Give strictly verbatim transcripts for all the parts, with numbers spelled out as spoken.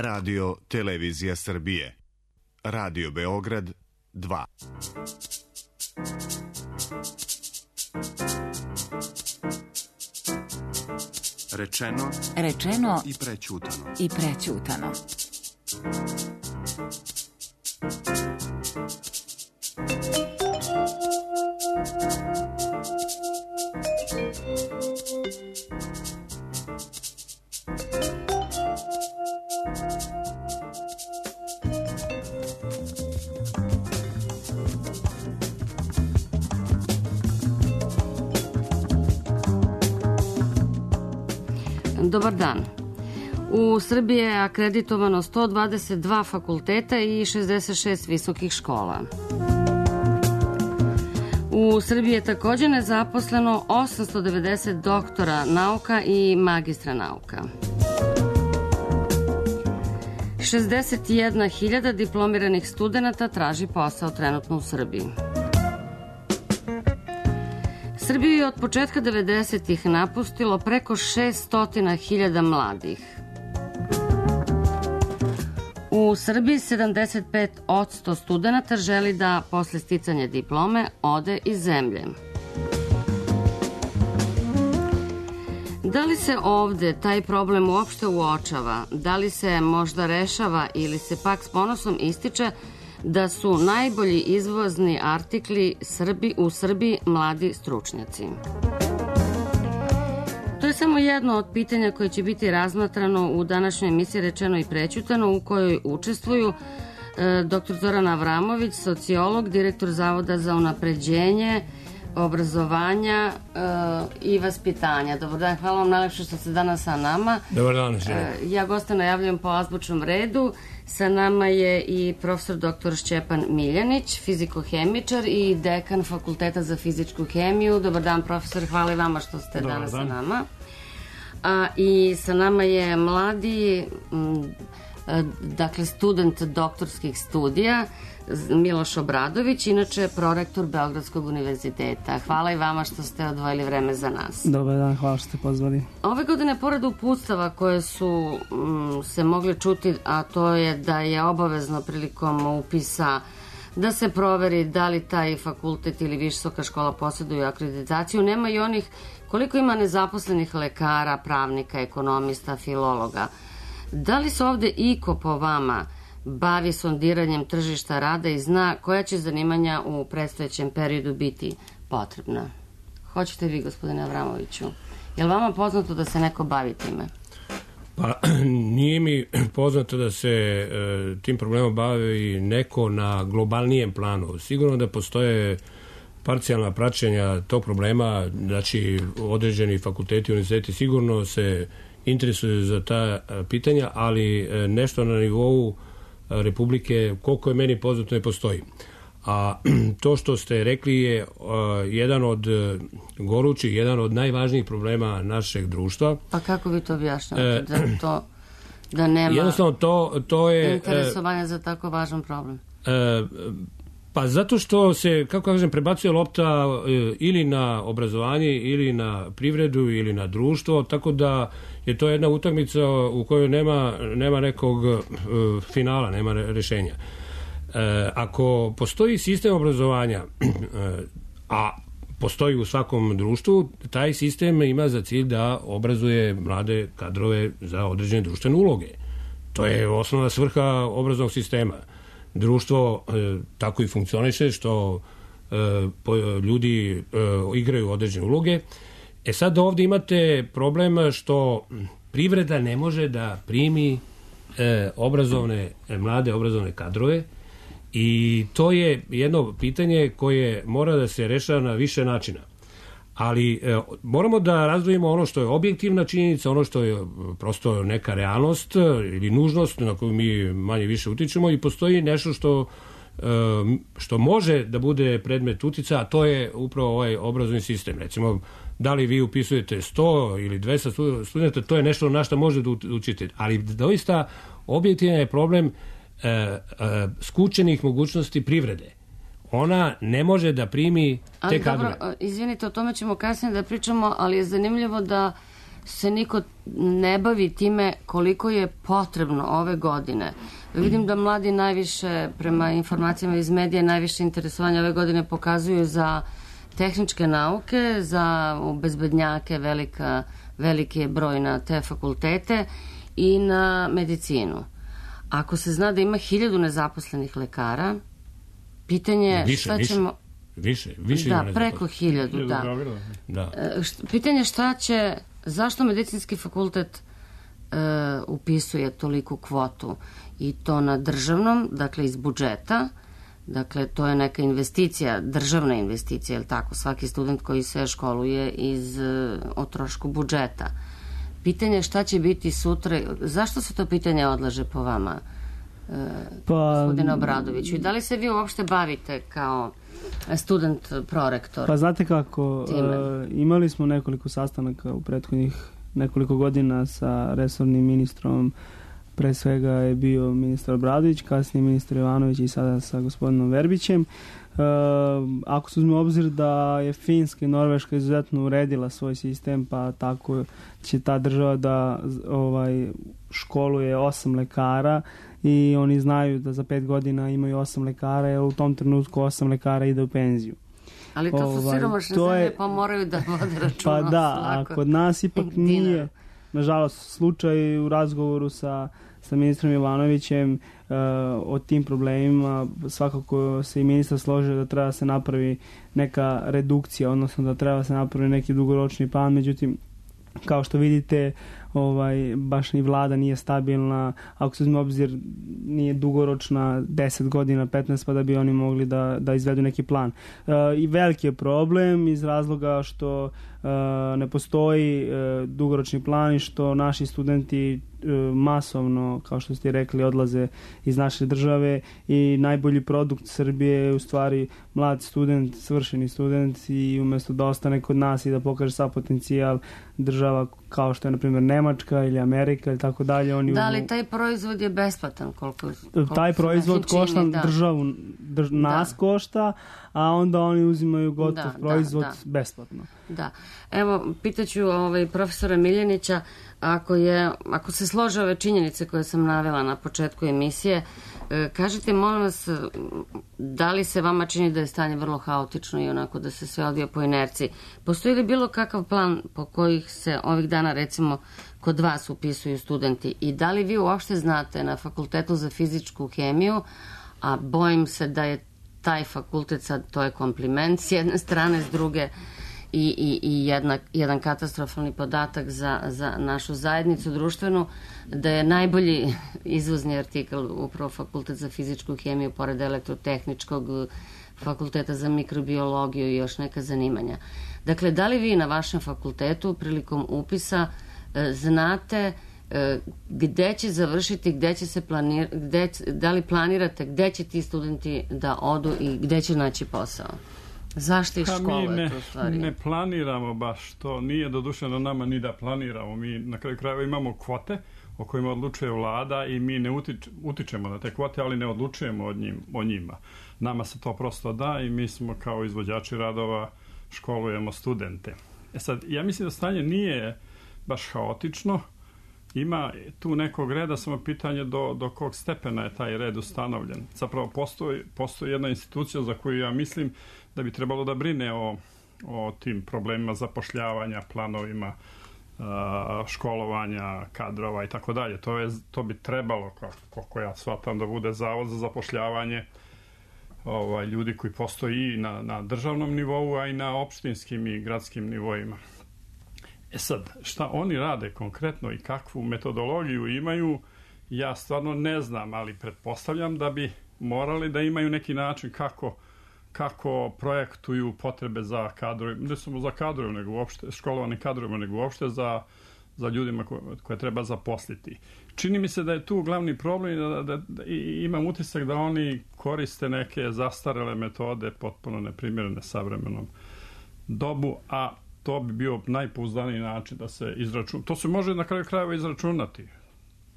Radio Televizija Srbije. Radio Beograd dva. Rečeno, rečeno i prećutano. I prećutano. Dobar dan. U Srbiji je akreditovano sto dvadeset dva fakulteta i šezdeset šest visokih škola. U Srbiji je također nezaposleno osamsto devedeset doktora nauka i magistra nauka. šezdeset jedna hiljada diplomiranih studenata traži posao trenutno u Srbiji. Srbiju je od početka devedesetih napustilo preko šesto hiljada mladih. U Srbiji sedamdeset pet posto studenata želi da posle sticanja diplome ode iz zemlje. Da li se ovde taj problem uopšte uočava? Da li se možda rešava ili se pak s ponosom ističe da su najbolji izvozni artikli Srbi, u Srbiji mladi stručnjaci? To je samo jedno od pitanja koje će biti razmatrano u današnjoj emisiji Rečeno i prećutano, u kojoj učestvuju e, dr Zoran Avramović, sociolog, direktor Zavoda za unapređenje obrazovanja e, i vaspitanja. Dobar dan, hvala vam najlepše što ste danas sa nama. Dobar dan. E, ja goste najavljam po azbučnom redu. Sa nama je i profesor doktor Šćepan Miljanić, fizikohemičar i dekan Fakulteta za fizičku hemiju. Dobar dan, profesor, hvala i vama što ste Dobar danas dan. Sa nama. A, I sa nama je mladi, m, dakle, student doktorskih studija, Miloš Obradović, inače prorektor Beogradskog univerziteta. Hvala i vama što ste odvojili vreme za nas. Dobar dan, hvala što ste pozvali. Ove godine, pored uputstava koje su m, se mogli čuti, a to je da je obavezno prilikom upisa da se proveri da li taj fakultet ili visoka škola posjeduju akreditaciju, nema i onih koliko ima nezaposlenih lekara, pravnika, ekonomista, filologa. Da li se ovde iko po vama bavi sondiranjem tržišta rada i zna koja će zanimanja u predstojećem periodu biti potrebna? Hoćete vi, gospodine Avramoviću? Je li vama poznato da se neko bavi time? Pa, nije mi poznato da se e, tim problemom bavi neko na globalnijem planu. Sigurno da postoje parcijalna praćenja tog problema, znači određeni fakulteti i univerziteti sigurno se interesuju za ta pitanja, ali e, nešto na nivou Republike, koliko je meni poznato, ne postoji. A to što ste rekli je uh, jedan od uh, gorućih, jedan od najvažnijih problema našeg društva. Pa kako vi to objašnjavate? Da, to, da nema jednostavno to, to je interesovanja uh, za tako važan problem? Uh, pa zato što se, kako kažem, prebacuje lopta uh, ili na obrazovanje, ili na privredu, ili na društvo, tako da je to jedna utakmica u kojoj nema, nema nekog uh, finala, nema rešenja. E, ako postoji sistem obrazovanja, e, a postoji u svakom društvu, taj sistem ima za cilj da obrazuje mlade kadrove za određene društvene uloge. To je osnovna svrha obrazovnog sistema. Društvo e, tako i funkcioniše što e, po, ljudi e, igraju određene uloge. E sad ovdje imate problem što privreda ne može da primi e, obrazovne, mlade obrazovne kadrove. I to je jedno pitanje koje mora da se rešava na više načina. Ali e, moramo da razdvojimo ono što je objektivna činjenica, ono što je prosto neka realnost ili nužnost na koju mi manje više utičemo, i postoji nešto što, e, što može da bude predmet utica, a to je upravo ovaj obrazovni sistem. Recimo, da li vi upisujete sto ili dvesta studenta, to je nešto na što može da učite. Ali doista objektivan je problem E, e, skučenih mogućnosti privrede. Ona ne može da primi te kadrove. Dobro, izvinite, o tome ćemo kasnije da pričamo, ali je zanimljivo da se niko ne bavi time koliko je potrebno ove godine. Vidim da mladi najviše, prema informacijama iz medija, najviše interesovanja ove godine pokazuju za tehničke nauke, za bezbednjake, velika, veliki je broj na te fakultete i na medicinu. Ako se zna da ima hiljadu nezaposlenih lekara, pitanje je više, šta više. ćemo... Više, više da, preko hiljadu, da. da. Pitanje šta će, zašto medicinski fakultet e, upisuje toliku kvotu i to na državnom, dakle iz budžeta, dakle to je neka investicija, državna investicija, je li tako, svaki student koji se školuje iz o trošku budžeta. Pitanje je šta će biti sutra, zašto se to pitanje odlaže po vama, e, pa, gospodine Obradoviću, i da li se vi uopšte bavite kao student prorektor? Pa znate kako, e, imali smo nekoliko sastanaka u prethodnih nekoliko godina sa resornim ministrom, pre svega je bio ministar Obradović, kasnije ministar Jovanović i sada sa gospodinom Verbićem. E, ako se uzme obzir da je Finska i Norveška izuzetno uredila svoj sistem, pa tako će ta država da ovaj, školuje osam lekara i oni znaju da za pet godina imaju osam lekara, jer u tom trenutku osam lekara ide u penziju. Ali to su ovaj, siromašne zemlje, je, pa moraju da vode računa. Pa da, a kod nas ipak nije, nažalost, slučaj u razgovoru sa, sa ministrom Jovanovićem uh, o tim problemima. Svakako se i ministar složio da treba se napravi neka redukcija, odnosno da treba se napravi neki dugoročni plan, međutim, kao što vidite, ovaj, baš ni vlada nije stabilna, ako se uzme obzir nije dugoročna deset godina, petnaest, pa da bi oni mogli da, da izvedu neki plan. E, I veliki je problem iz razloga što e, ne postoji e, dugoročni plan i što naši studenti e, masovno, kao što ste rekli, odlaze iz naše države i najbolji produkt Srbije je u stvari mlad student, svršeni student, i umjesto da ostane kod nas i da pokaže sav potencijal, država kao što je na primjer Nemačka ili Amerika ili tako dalje, oni da li taj proizvod je besplatan? Koliko, koliko taj proizvod košta da. državu, drž, nas da. košta, a onda oni uzimaju gotov da, proizvod da, da. besplatno. Da. Evo, pitaću ovaj, profesora Miljanića, ako, je, ako se slože ove činjenice koje sam navela na početku emisije, kažite, molim vas, da li se vama čini da je stanje vrlo haotično i onako da se sve odvija po inerciji? Postoji li bilo kakav plan po kojih se ovih dana, recimo, kod vas upisuju studenti? I da li vi uopšte znate na Fakultetu za fizičku hemiju, a bojim se da je taj fakultet sad, to je kompliment s jedne strane, s druge i, i, i jedna, jedan katastrofalni podatak za, za našu zajednicu društvenu, da je najbolji izvozni artikl upravo Fakultet za fizičku hemiju, pored elektrotehničkog, Fakulteta za mikrobiologiju i još neka zanimanja. Dakle, da li vi na vašem fakultetu prilikom upisa e, znate e, gde će završiti, gde će se planirati, gde, da li planirate gde će ti studenti da odu i gde će naći posao? Zašto ih školuje to u stvari? Mi ne planiramo baš to, nije doduše na nama ni da planiramo. Mi na kraju krajeva imamo kvote o kojima odlučuje vlada i mi ne utič, utičemo na te kvote, ali ne odlučujemo od njim, o njima. Nama se to prosto da i mi smo kao izvođači radova školujemo studente. E sad, ja mislim da stanje nije baš haotično. Ima tu nekog reda, samo pitanje do, do kog stepena je taj red ustanovljen. Zapravo postoji, postoji jedna institucija za koju ja mislim da bi trebalo da brine o, o tim problemima zapošljavanja, planovima, školovanja, kadrova i tako dalje. To je, to bi trebalo, kako ja shvatam, da bude zavod za zapošljavanje ovaj, ljudi koji postoji i na, na državnom nivou, a i na opštinskim i gradskim nivoima. E sad, šta oni rade konkretno i kakvu metodologiju imaju, ja stvarno ne znam, ali pretpostavljam da bi morali da imaju neki način kako kako projektuju potrebe za kadrove, ne samo za kadrove, nego uopšte, školovani kadrove, nego uopšte za, za ljudima koje, koje treba zaposliti. Čini mi se da je tu glavni problem da, da, da imam utisak da oni koriste neke zastarele metode, potpuno neprimjerene savremenom dobu, a to bi bio najpouzdaniji način da se izračuna. To se može na kraju krajeva izračunati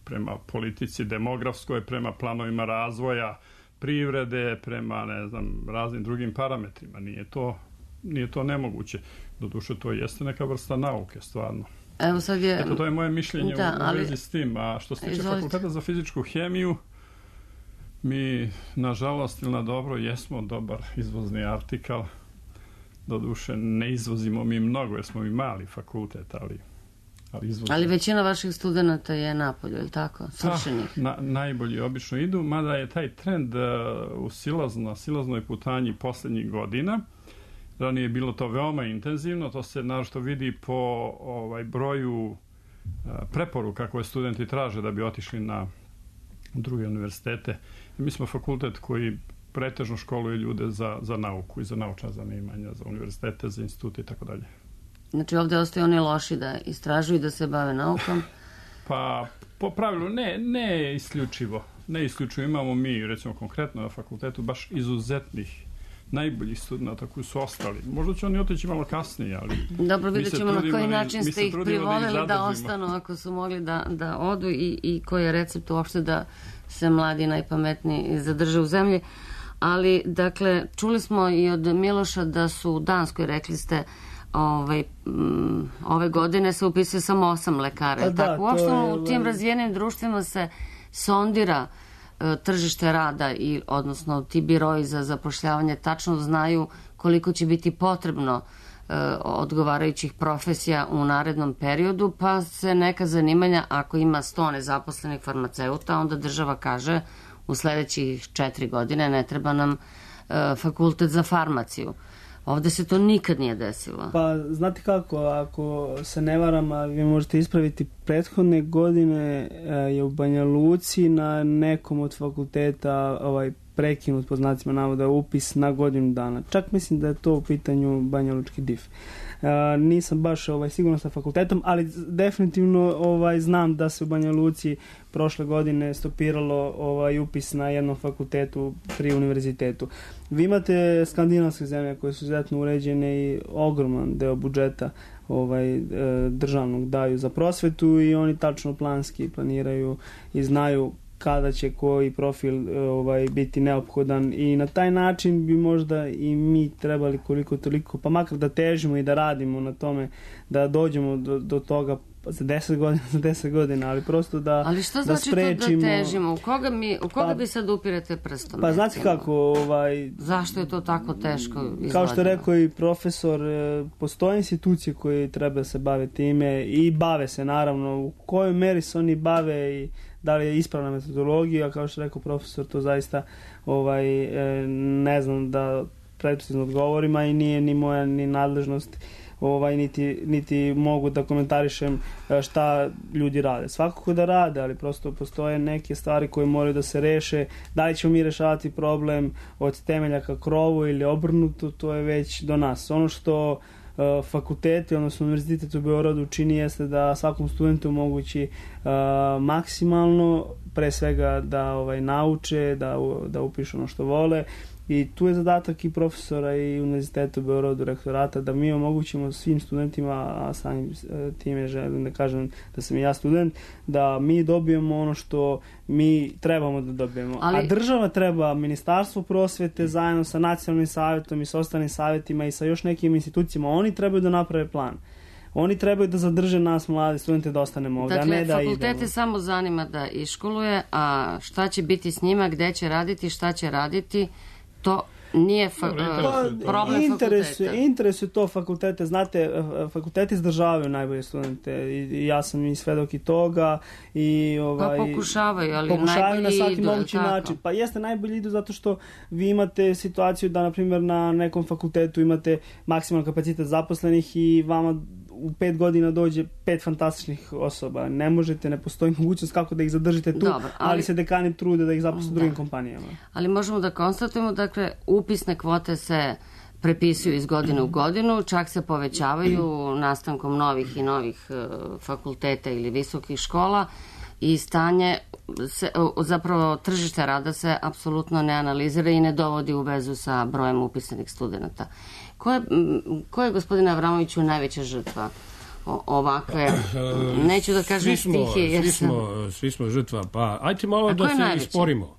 prema politici demografskoj, prema planovima razvoja privrede, prema, ne znam, raznim drugim parametrima. Nije to, nije to nemoguće. Doduše, to jeste neka vrsta nauke, stvarno. Evo sad je... Eto, to je moje mišljenje da, u, u ali... vezi s tim. A što se tiče Izvolite. Fakulteta za fizičku hemiju, mi, nažalost ili na dobro, jesmo dobar izvozni artikal. Doduše, ne izvozimo mi mnogo, jer smo mi mali fakultet, ali... Ali, izvozimo. Ali većina vaših studenta je napolju, je li tako? Svršenih. Na, najbolji obično idu, mada je taj trend uh, u silazno, na silaznoj putanji posljednjih godina. Ranije je bilo to veoma intenzivno, to se naročito vidi po ovaj, broju uh, preporuka koje studenti traže da bi otišli na druge univerzitete. I mi smo fakultet koji pretežno školuje ljude za, za nauku i za naučna zanimanja, za univerzitete, za institute i tako dalje. Znači ovdje ostaju oni loši da istražuju i da se bave naukom? Pa, po pravilu, ne, ne isključivo. Ne isključivo. Imamo mi, recimo konkretno na fakultetu, baš izuzetnih, najboljih studenta koji su ostali. Možda će oni otići malo kasnije, ali... Dobro, vidjet ćemo na koji da, način ste ih privolili da, da ostanu ako su mogli da, da odu i, i koji je recept uopšte da se mladi najpametniji zadrže u zemlji. Ali, dakle, čuli smo i od Miloša da su u Danskoj, rekli ste, Ovaj, m, ove godine se upisuje samo osam lekara. Da, tako, uopšte je, u tim razvijenim društvima se sondira e, tržište rada i odnosno ti biroji za zapošljavanje tačno znaju koliko će biti potrebno e, odgovarajućih profesija u narednom periodu, pa se neka zanimanja, ako ima sto nezaposlenih farmaceuta, onda država kaže u sledećih četiri godine ne treba nam e, fakultet za farmaciju. Ovde se to nikad nije desilo. Pa, znate kako, ako se ne varam, a vi možete ispraviti, prethodne godine je u Banja Luci na nekom od fakulteta ovaj, prekinut, po znacima navoda, upis na godinu dana. Čak mislim da je to u pitanju Banja Lučki D I F. Uh, nisam baš ovaj, sigurno sa fakultetom, ali definitivno ovaj, znam da se u Banja Luci prošle godine stopiralo ovaj, upis na jednom fakultetu pri univerzitetu. Vi imate skandinavske zemlje koje su izuzetno uređene i ogroman deo budžeta ovaj, državnog daju za prosvetu i oni tačno planski planiraju i znaju kada će koji profil ovaj, biti neophodan i na taj način bi možda i mi trebali koliko toliko, pa makar da težimo i da radimo na tome, da dođemo do, do toga za deset godina, za deset godina, ali prosto da ali šta da znači sprečimo... to da težimo? U koga, mi, u koga pa, bi sad upirate prstom? Pa znate kako, ovaj... Zašto je to tako teško izgledano? Kao što je rekao i profesor, postoje institucije koje treba da se bave time i bave se naravno, u kojoj meri se oni bave i da li je ispravna metodologija, kao što je rekao profesor, to zaista ovaj, ne znam da precizno odgovorim, a i nije ni moja ni nadležnost, ovaj, niti, niti mogu da komentarišem šta ljudi rade. Svakako da rade, ali prosto postoje neke stvari koje moraju da se reše. Da li ćemo mi rešavati problem od temelja ka krovu ili obrnuto, to je već do nas. Ono što fakulteti, odnosno univerzitet u Beogradu čini jeste da svakom studentu omogući uh, maksimalno, pre svega da ovaj, nauče, da, da upišu ono što vole i tu je zadatak i profesora i univerziteta u Beogradu, rektorata, da mi omogućimo svim studentima, a samim time želim da kažem da sam i ja student, da mi dobijemo ono što mi trebamo da dobijemo. Ali... A država treba, Ministarstvo prosvete zajedno sa nacionalnim savjetom i sa ostalim savjetima i sa još nekim institucijama, oni trebaju da naprave plan. Oni trebaju da zadrže nas mlade studente da ostanemo ovdje, dakle, a ne da idemo. Dakle, fakultete samo zanima da iškoluje, a šta će biti s njima, gde će raditi, šta će raditi, to nije fa- pa, problem interesuje, fakulteta. Interesuje to fakultete. Znate, fakulteti izdržavaju najbolje studente i ja sam i svedok i toga. I, ovaj, pa pokušavaju, ali pokušavaju najbolji na svaki idu, mogući tako. način. Pa jeste, najbolji idu zato što vi imate situaciju da, na primjer, na nekom fakultetu imate maksimalan kapacitet zaposlenih i vama u pet godina dođe pet fantastičnih osoba. Ne možete, ne postoji mogućnost kako da ih zadržite tu, Dobar, ali, ali se dekani trude da ih zaposle u drugim kompanijama. Ali možemo da konstatujemo, dakle, upisne kvote se prepisuju iz godine u godinu, čak se povećavaju nastankom novih i novih uh, fakulteta ili visokih škola i stanje, se, uh, zapravo tržište rada se apsolutno ne analizira i ne dovodi u vezu sa brojem upisanih studenta. Ko je, ko je gospodine Avramoviću najveća žrtva ovakve, neću da kažem stihije. Svi smo, svi smo žrtva, pa ajte malo da se najveća? Isporimo.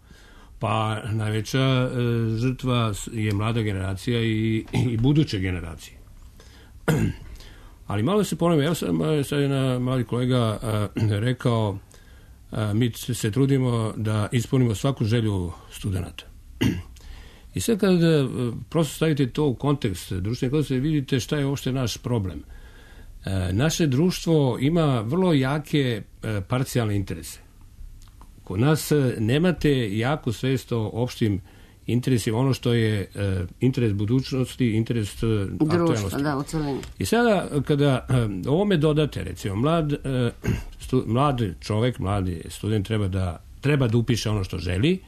Pa najveća e, žrtva je mlada generacija i, i buduće generacije. Ali malo se ponovim, ja sam sad jedna mladi kolega a, rekao, a, mi se trudimo da ispunimo svaku želju studenta. I sad kad prosto stavite to u kontekst društvene kontekste, vidite šta je uopšte naš problem. E, naše društvo ima vrlo jake e, parcijalne interese. Kod nas nemate jaku svest o opštim interesima, ono što je e, interes budućnosti, interes e, aktualnosti. Da, u celini. I sada kada e, ovome dodate, recimo, mlad, e, stu, mlad čovek, mladi student treba da, treba da upiše ono što želi.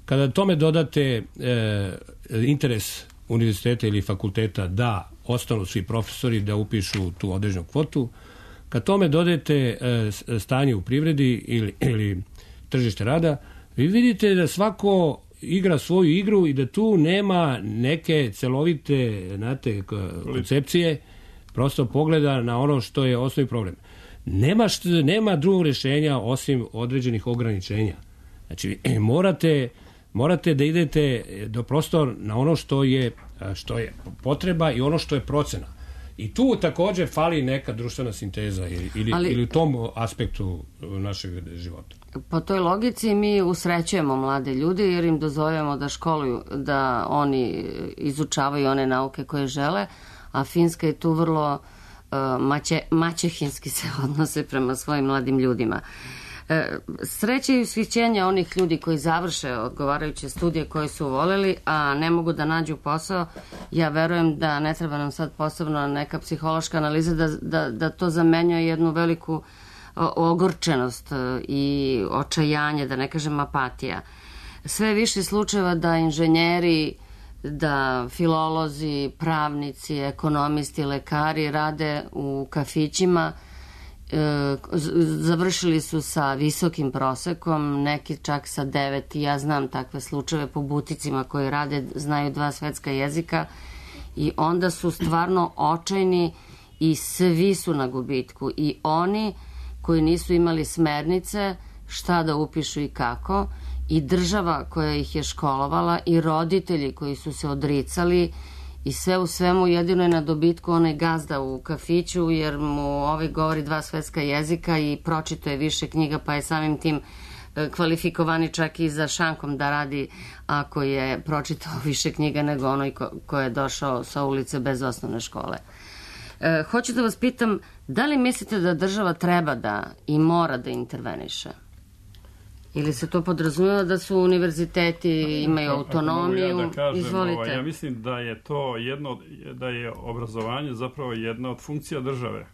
Kada tome dodate e, interes univerziteta ili fakulteta da ostanu svi profesori, da upišu tu određenu kvotu, kad tome dodate e, stanje u privredi ili, ili tržište rada, vi vidite da svako igra svoju igru i da tu nema neke celovite, znate, koncepcije, prosto pogleda na ono što je osnovni problem. Nema, što, nema drugog rješenja osim određenih ograničenja. Znači, morate, morate da idete do prostor na ono što je, što je potreba i ono što je procena. I tu također fali neka društvena sinteza ili, ili, Ali, ili u tom aspektu našeg života. Po toj logici mi usrećujemo mlade ljude jer im dozvoljavamo da školuju, da oni izučavaju one nauke koje žele, a Finska je tu vrlo uh, maće, maćehinski se odnose prema svojim mladim ljudima. Sreće i ushićenja onih ljudi koji završe odgovarajuće studije koje su voljeli, a ne mogu da nađu posao, ja verujem da ne treba nam sad posebno neka psihološka analiza da, da, da to zamenjuje jednu veliku ogorčenost i očajanje, da ne kažem apatija. Sve više slučajeva da inženjeri, da filolozi, pravnici, ekonomisti, lekari rade u kafićima, završili su sa visokim prosekom, neki čak sa devet, ja znam takve slučajeve po buticima koji rade, znaju dva svetska jezika i onda su stvarno očajni i svi su na gubitku, i oni koji nisu imali smernice šta da upišu i kako, i država koja ih je školovala, i roditelji koji su se odricali, i sve u svemu jedino je na dobitku onaj gazda u kafiću, jer mu ovaj govori dva svetska jezika i pročito je više knjiga, pa je samim tim kvalifikovani čak i za šankom da radi ako je pročitao više knjiga nego onoj ko, ko je došao sa ulice bez osnovne škole. E, hoću da vas pitam, da li mislite da država treba da i mora da interveniše? Ili se to podrazumijeva da su univerziteti imaju autonomiju? Ja, da kažem, Izvolite. Ovaj, ja mislim da je to jedno, da je obrazovanje zapravo jedna od funkcija države.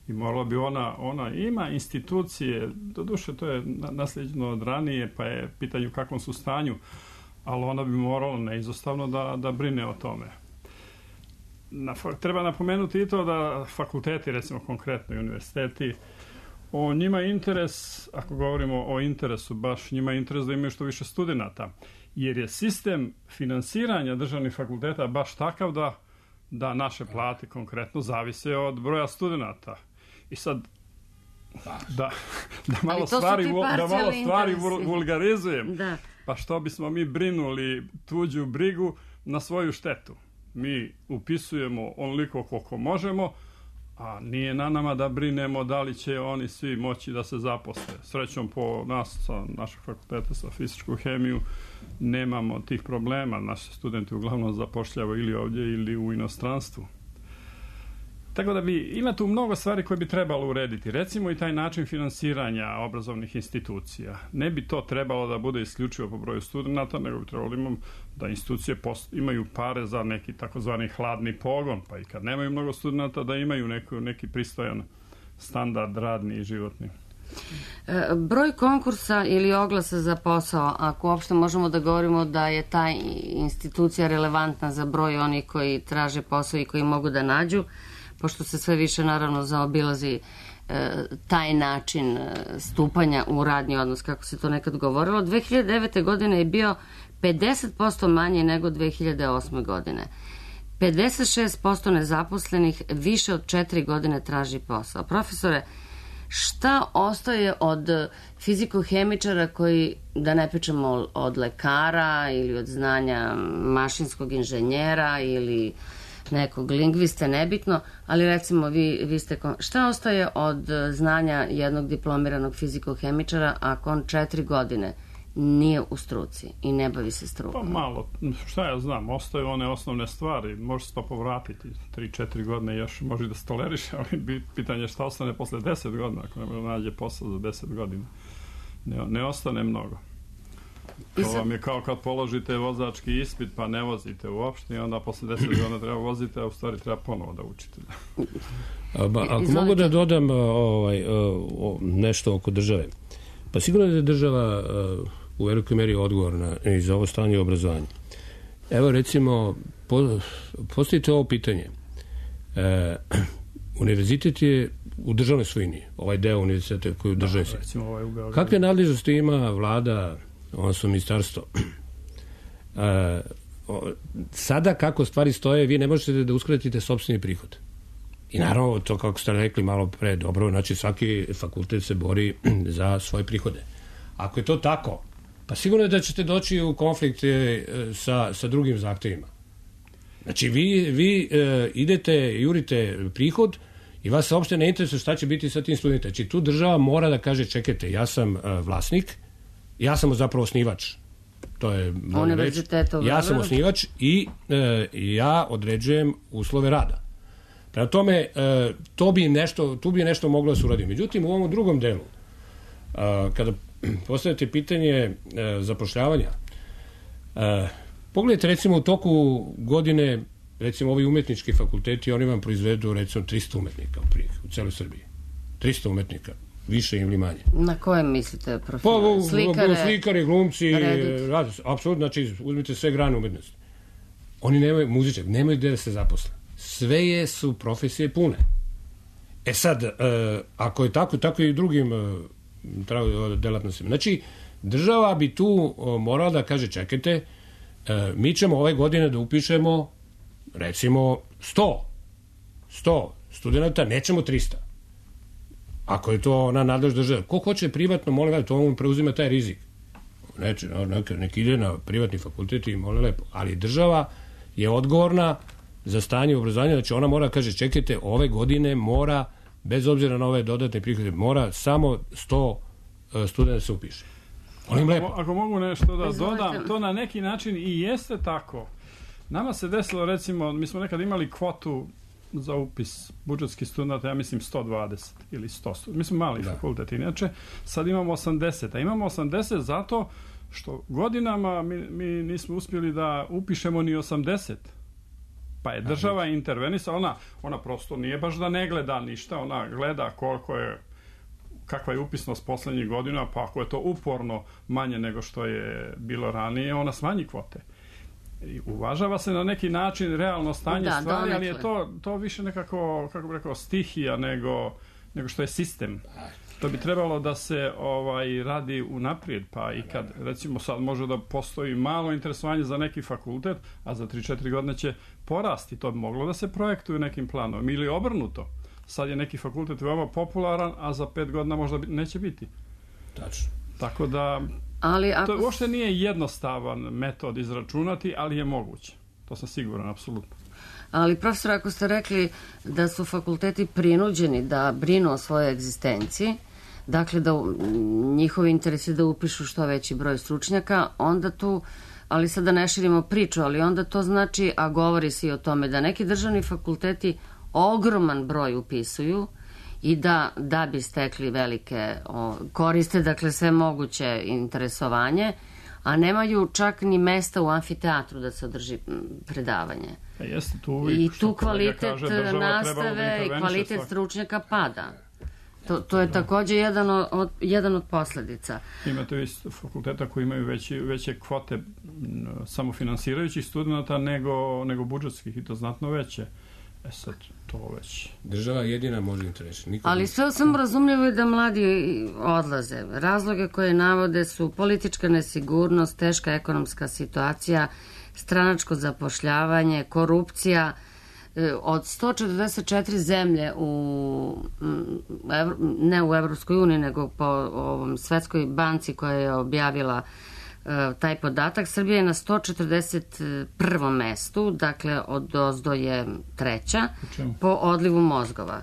I morala bi ona, ona ima institucije, doduše to je naslijeđeno od ranije, pa je pitanje u kakvom su stanju, ali ona bi morala neizostavno da, da brine o tome. Na, treba napomenuti i to da fakulteti, recimo konkretno i univerziteti, o njima je interes, ako govorimo o interesu, baš njima je interes da imaju što više studenata, jer je sistem finansiranja državnih fakulteta baš takav da, da naše plate konkretno zavise od broja studenata. I sad, da, da malo stvari, da malo stvari vulgarizujem, da. Pa što bismo mi brinuli tuđu brigu na svoju štetu? Mi upisujemo onoliko koliko možemo, a nije na nama da brinemo da li će oni svi moći da se zaposle. Srećom po nas, sa našeg fakulteta za fizičku hemiju, nemamo tih problema. Naši studenti uglavnom zapošljavaju ili ovdje ili u inostranstvu. Tako da bi, ima tu mnogo stvari koje bi trebalo urediti. Recimo i taj način finansiranja obrazovnih institucija. Ne bi to trebalo da bude isključivo po broju studenta, nego bi trebalo imam da institucije post, imaju pare za neki takozvani hladni pogon, pa i kad nemaju mnogo studenta da imaju neku, neki pristojan standard radni i životni. E, broj konkursa ili oglasa za posao, ako uopšte možemo da govorimo da je ta institucija relevantna za broj onih koji traže posao i koji mogu da nađu, pošto se sve više naravno zaobilazi e, taj način e, stupanja u radni odnos, kako se to nekad govorilo. dve hiljade devete. godine je bio pedeset posto manje nego dve hiljade osme. godine. pedeset šest posto nezaposlenih više od četiri godine traži posao. Profesore, šta ostaje od fiziko-hemičara koji, da ne pričamo od lekara ili od znanja mašinskog inženjera ili nekog lingviste, nebitno, ali recimo vi, vi ste... Šta ostaje od znanja jednog diplomiranog fizikohemičara ako on četiri godine nije u struci i ne bavi se strukom? Pa malo, šta ja znam, ostaju one osnovne stvari, može se to povratiti, tri četiri godine još može da se toleriše, ali pitanje je šta ostane posle deset godina, ako ne može nađe posao za deset godina. Ne, ne ostane mnogo. To vam je kao kad položite vozački ispit pa ne vozite uopšte i onda posle deset godina treba vozite, a u stvari treba ponovo da učite. A, ba, ako Izvolite. mogu da dodam ovaj, nešto oko države. Pa sigurno da je država u velikoj meri odgovorna i za ovo stanje obrazovanja. Evo recimo, po, postavite ovo pitanje. E, univerzitet je u državnoj svojini, ovaj deo univerziteta koji je u državnoj svojini. Ovaj kakve nadležnosti ima vlada, odnosno ministarstvo? E, sada kako stvari stoje, vi ne možete da uskratite sopstveni prihod. I naravno, to kako ste rekli malo pre, dobro, znači svaki fakultet se bori za svoje prihode. Ako je to tako, pa sigurno je da ćete doći u konflikt sa, sa drugim zahtevima. Znači, vi, vi e, idete, jurite prihod i vas se uopšte ne interesuje šta će biti sa tim studentima. Znači, tu država mora da kaže, čekajte, ja sam e, vlasnik, ja sam zapravo osnivač. To je univerziteta. Ja sam osnivač i e, ja određujem uslove rada. Prema tome, e, to bi nešto, tu bi nešto moglo da se uradi. Međutim, u ovom drugom delu, e, kada postavite pitanje e, zapošljavanja, e, pogledajte recimo u toku godine, recimo ovi umetnički fakulteti, oni vam proizvedu recimo trista umetnika u, prije, u celoj Srbiji. trista umetnika, više ili manje. Na kojem mislite profile? Pa, slikare, slikari, glumci, radi, apsolutno, znači uzmite sve grane umetnosti. Oni nemaju, muzičar, nemaju gde da se zaposle. Sve je, su profesije pune. E sad, e, ako je tako, tako i drugim e, delatnostima. Znači, država bi tu o, morala da kaže, čekajte, e, mi ćemo ove godine da upišemo recimo sto sto studenta, nećemo trista. Ako je to na nadlež države. Ko hoće privatno, molim vas, to on preuzima taj rizik. Neće, nek, nek ide na privatni fakultet i molim lepo. Ali država je odgovorna za stanje obrazovanja, znači ona mora, kaže, čekajte, ove godine mora, bez obzira na ove dodatne prihode, mora samo sto studenta se upiše. Molim lepo. Ako, ako mogu nešto da dodam, to na neki način i jeste tako. Nama se desilo, recimo, mi smo nekad imali kvotu za upis budžetskih studenta, ja mislim sto dvadeset ili sto studenta. Mi smo mali da. fakultet, inače, sad imamo osamdeset, a imamo osamdeset zato što godinama mi, mi nismo uspjeli da upišemo ni osamdeset. Pa je država intervenisala, ona, ona prosto nije baš da ne gleda ništa, ona gleda koliko je, kakva je upisnost poslednjih godina, pa ako je to uporno manje nego što je bilo ranije, ona smanji kvote. I uvažava se na neki način realno stanje da, stvari, ali je to, to više nekako, kako bih rekao, stihija nego, nego što je sistem. To bi trebalo da se ovaj radi unaprijed, pa i kad recimo sad može da postoji malo interesovanje za neki fakultet, a za tri četiri godine će porasti, to bi moglo da se projektuje nekim planom ili obrnuto. Sad je neki fakultet veoma popularan, a za pet godina možda neće biti. Tačno. Tako da ali ako... to uopšte nije jednostavan metod izračunati, ali je moguće. To sam siguran, apsolutno. Ali profesor, ako ste rekli da su fakulteti prinuđeni da brinu o svojoj egzistenciji, dakle da njihovi interesi da upišu što veći broj stručnjaka, onda tu, ali sada ne širimo priču, ali onda to znači, a govori se i o tome, da neki državni fakulteti ogroman broj upisuju i da, da bi stekli velike o, koriste, dakle sve moguće interesovanje, a nemaju čak ni mesta u amfiteatru da se održi predavanje. E, jeste tu uvijek, i tu kvalitet kaže, nastave i kvalitet svak... stručnjaka pada. To, to je da. također jedan od, jedan od posledica. Imate vi fakulteta koji imaju veći, veće kvote samofinansirajućih studenta nego, nego budžetskih i to znatno veće. E sad, to već... Država jedina može interesi. Ali sve sam razumljivo je da mladi odlaze. Razloge koje navode su politička nesigurnost, teška ekonomska situacija, stranačko zapošljavanje, korupcija. Od sto četrdeset četiri zemlje u, ne u Evropskoj uniji, nego po ovom Svetskoj banci koja je objavila taj podatak. Srbija je na sto četrdeset prvom mestu, dakle od ozdo je treća po odlivu mozgova.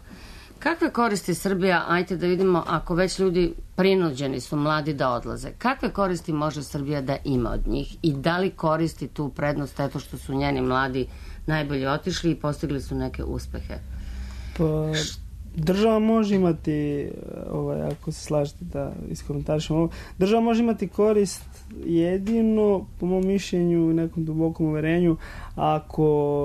Kakve koristi Srbija, ajte da vidimo, ako već ljudi prinuđeni su mladi da odlaze, kakve koristi može Srbija da ima od njih i da li koristi tu prednost eto što su njeni mladi najbolje otišli i postigli su neke uspehe? Pa, država može imati, ovaj, ako se slažete da iskomentarišemo ovo, država može imati korist jedino, po mom mišljenju i nekom dubokom uverenju, ako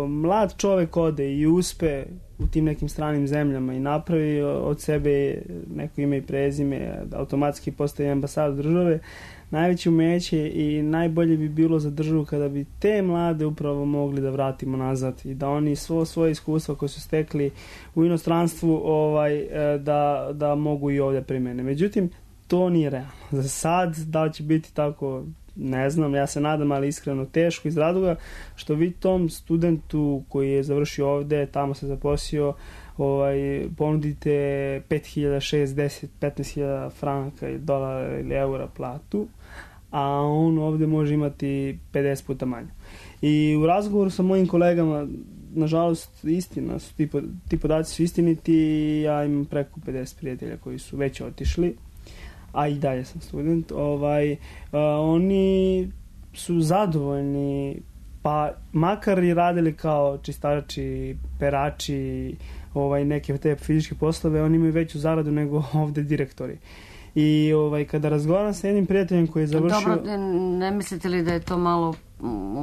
mlad čovek ode i uspe u tim nekim stranim zemljama i napravi od sebe neko ime i prezime, automatski postaje ambasador države, najveće umeće i najbolje bi bilo za državu kada bi te mlade upravo mogli da vratimo nazad i da oni svo svoje iskustva koje su stekli u inostranstvu ovaj, da, da mogu i ovdje primene. Međutim, to nije realno. Za sad, da li će biti tako, ne znam, ja se nadam, ali iskreno teško iz razloga što vi tom studentu koji je završio ovde, tamo se zaposlio, ovaj, ponudite pet hiljada, šest, deset, petnaest hiljada franaka ili dolara ili eura platu, a on ovde može imati pedeset puta manje. I u razgovoru sa mojim kolegama, nažalost, istina su, ti, ti podaci su istiniti, ja imam preko pedeset prijatelja koji su već otišli, a i dalje sam student, ovaj, uh, oni su zadovoljni, pa makar i radili kao čistači, perači, ovaj, neke te fizičke poslove, oni imaju veću zaradu nego ovde direktori. I ovaj, kada razgovaram sa jednim prijateljem koji je završio... Dobro, ne mislite li da je to malo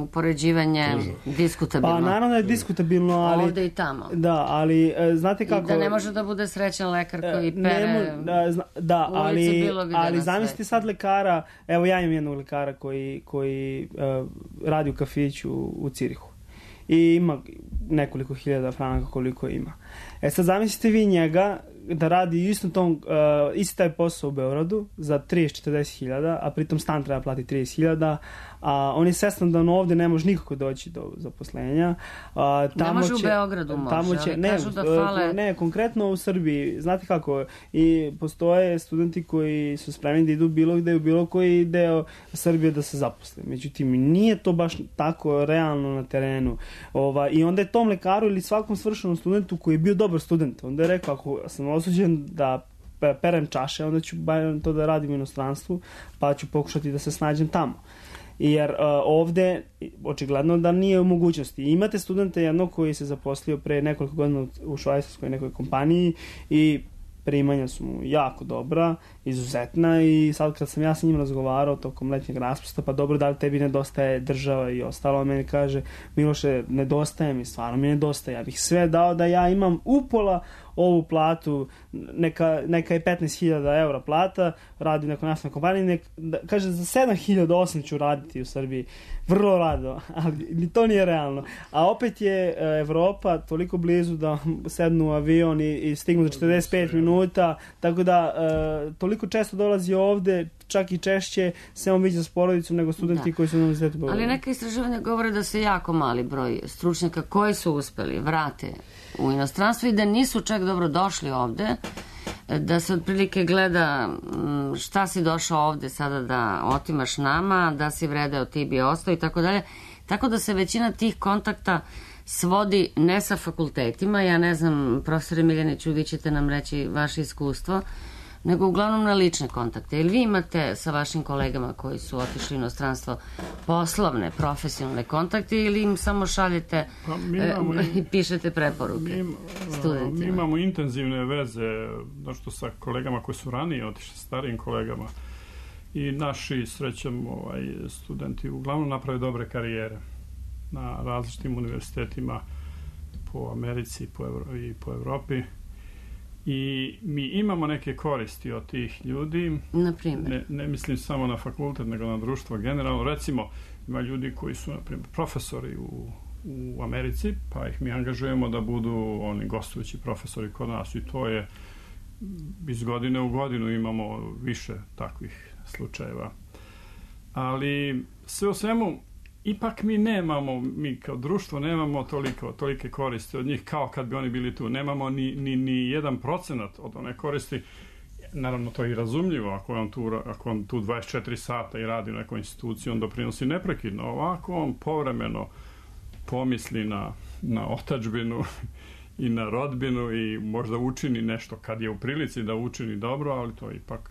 upoređivanje diskutabilno? Pa naravno da je diskutabilno, ali... Ovde i tamo. Da, ali znate kako... I da ne može da bude srećan lekar koji pere ne, da, zna, da, ulicu ali, bilo gde ali na zamislite sad lekara, evo ja imam jednog lekara koji, koji uh, radi u kafiću u Cirihu i ima nekoliko hiljada franaka koliko ima. E sad zamislite vi njega da radi isto tom, uh, isti taj posao u Beogradu za trideset do četrdeset hiljada, a pritom stan treba platiti trideset hiljada, a on je svestan da on ovde ne može nikako doći do zaposlenja. A, tamo ne može će, u Beogradu može, tamo će, ali ne, kažu da fale... Ne, konkretno u Srbiji, znate kako, i postoje studenti koji su spremni da idu bilo gde u bilo koji deo Srbije da se zaposle. Međutim, nije to baš tako realno na terenu. Ova, I onda je tom lekaru ili svakom svršenom studentu koji je bio dobar student, onda je rekao, ako sam osuđen da perem čaše, onda ću bar to da radim u inostranstvu, pa ću pokušati da se snađem tamo. Jer uh, ovde očigledno da nije u mogućnosti. Imate studente jednog koji se zaposlio pre nekoliko godina u švajcarskoj nekoj kompaniji i primanja su mu jako dobra, izuzetna i sad kad sam ja sa njim razgovarao tokom letnjeg raspusta, pa dobro, da li tebi nedostaje država i ostalo, on meni kaže, Miloše, nedostaje mi, stvarno mi nedostaje, ja bih sve dao da ja imam upola ovu platu, neka, neka je petnaest hiljada eura plata, radi u nekoj naftnoj kompaniji, nek, da, kaže za sedam hiljada osam ću raditi u Srbiji, vrlo rado, ali to nije realno. A opet je Evropa toliko blizu da sednu u avion i, i stignu za četrdeset pet minuta, tako da uh, toliko često dolazi ovde, čak i češće se on viđa s porodicom nego studenti da. koji su na univerzitetu Beogradu. Ali neka istraživanja govore da se jako mali broj stručnjaka koji su uspeli vrate u inostranstvo i da nisu čak dobro došli ovde, da se otprilike gleda šta si došao ovde sada da otimaš nama, da si vredeo ti bi ostao i tako dalje. Tako da se većina tih kontakta svodi ne sa fakultetima, ja ne znam, profesore Miljaniću, vi ćete nam reći vaše iskustvo, nego uglavnom na lične kontakte. Ili vi imate sa vašim kolegama koji su otišli u inostranstvo poslovne, profesionalne kontakte ili im samo šaljete pa imamo, e, i pišete preporuke mi, studentima? Mi imamo intenzivne veze nešto sa kolegama koji su ranije otišli, starijim kolegama i naši, srećom, ovaj, studenti uglavnom naprave dobre karijere na različitim univerzitetima po Americi po Evro, i po Evropi. I mi imamo neke koristi od tih ljudi. Na primjer? Ne, ne mislim samo na fakultet, nego na društvo generalno. Recimo, ima ljudi koji su, na primjer, profesori u, u Americi, pa ih mi angažujemo da budu oni gostujući profesori kod nas i to je iz godine u godinu imamo više takvih slučajeva. Ali sve u svemu, ipak mi nemamo, mi kao društvo nemamo toliko, tolike koristi od njih kao kad bi oni bili tu. Nemamo ni, ni, ni jedan procenat od one koristi. naravno to je i razumljivo, ako on tu, ako on tu dvadeset četiri sata i radi u nekoj instituciji, on doprinosi neprekidno. Ovako on povremeno pomisli na, na otadžbinu i na rodbinu i možda učini nešto kad je u prilici da učini dobro, ali to ipak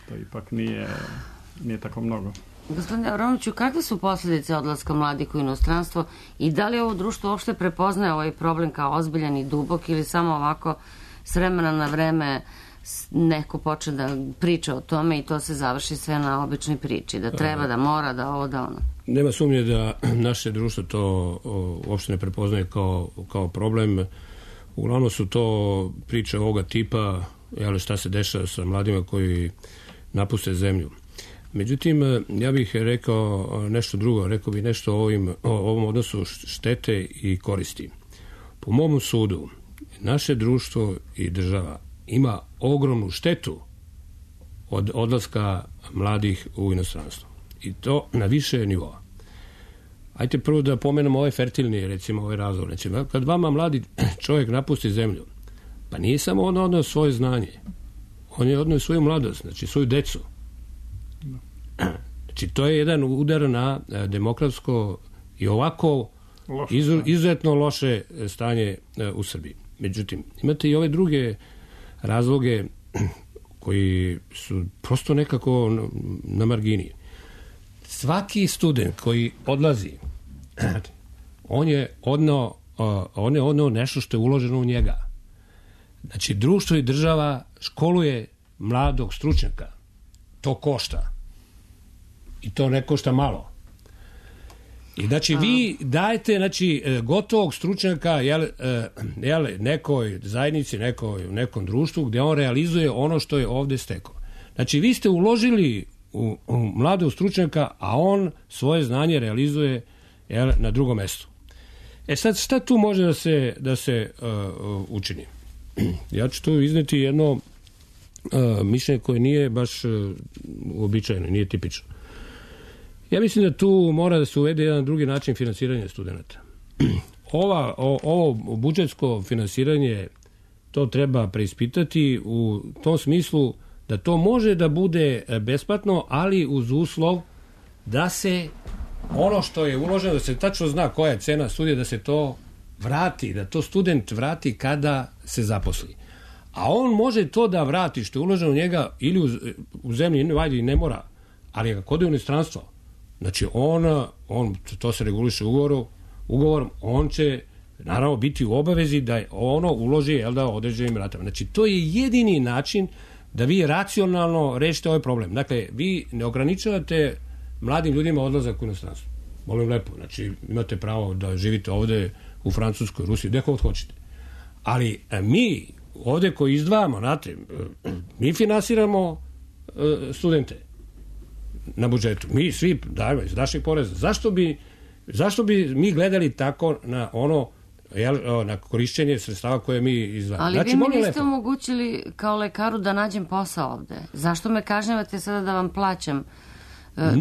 to ipak nije, nije tako mnogo. Gospodine Avramoviću, kakve su posljedice odlaska mladih u inostranstvo i da li ovo društvo uopšte prepoznaje ovaj problem kao ozbiljan i dubok ili samo ovako s vremena na vreme neko počne da priča o tome i to se završi sve na običnoj priči, da treba, da mora, da ovo, da ono? Nema sumnje da naše društvo to uopšte ne prepoznaje kao, kao problem. Uglavnom su to priče ovoga tipa, jel, šta se dešava sa mladima koji napuste zemlju. Međutim, ja bih rekao nešto drugo, rekao bih nešto o, ovim, o ovom odnosu štete i koristi. Po mom sudu, naše društvo i država ima ogromnu štetu od odlaska mladih u inostranstvo. I to na više nivoa. Ajte prvo da pomenemo ovaj fertilni, recimo, ovaj razlog. Recimo, kad vama mladi čovjek napusti zemlju, pa nije samo on odnio svoje znanje. On je odnio svoju mladost, znači svoju decu. Znači, to je jedan udar na demokratsko i ovako izu, izuzetno loše stanje u Srbiji. Međutim, imate i ove druge razloge koji su prosto nekako na margini. Svaki student koji odlazi, on je odneo, on je odneo nešto što je uloženo u njega. Znači, društvo i država školuje mladog stručnjaka. To košta. I to ne košta malo. I znači vi dajete, znači, gotovog stručnjaka jel, jel, nekoj zajednici, nekoj, nekom društvu gdje on realizuje ono što je ovdje stekao. Znači vi ste uložili u, u mladog stručnjaka, a on svoje znanje realizuje jel, na drugom mjestu. E sad, šta tu može da se, da se uh, učini? Ja ću tu izneti jedno uh, mišljenje koje nije baš uh, uobičajeno, nije tipično. Ja mislim da tu mora da se uvede jedan drugi način finansiranja studenta. Ova, o, ovo budžetsko finansiranje, to treba preispitati u tom smislu da to može da bude besplatno, ali uz uslov da se ono što je uloženo, da se tačno zna koja je cena studija, da se to vrati, da to student vrati kada se zaposli. A on može to da vrati što je uloženo u njega ili u, u zemlji, vajde, ne mora, ali ako ode u inostranstvo, znači on, on, to se reguliše ugovorom, ugovorom, on će naravno biti u obavezi da ono uloži, jel da, određenim ratama. Znači to je jedini način da vi racionalno rešite ovaj problem. Dakle, vi ne ograničavate mladim ljudima odlazak u inostranstvo. Molim lepo, znači imate pravo da živite ovde u Francuskoj, Rusiji, gde god hoćete. Ali mi ovde koji izdvajamo, znate, mi finansiramo studente na budžetu. Mi svi dajemo iz naših poreza. Zašto bi, zašto bi mi gledali tako na ono, jel, na korišćenje sredstava koje mi izdvajamo? Ali znači, vi mi niste lepo omogućili kao lekaru da nađem posao ovde. Zašto me kažnjavate sada da vam plaćam?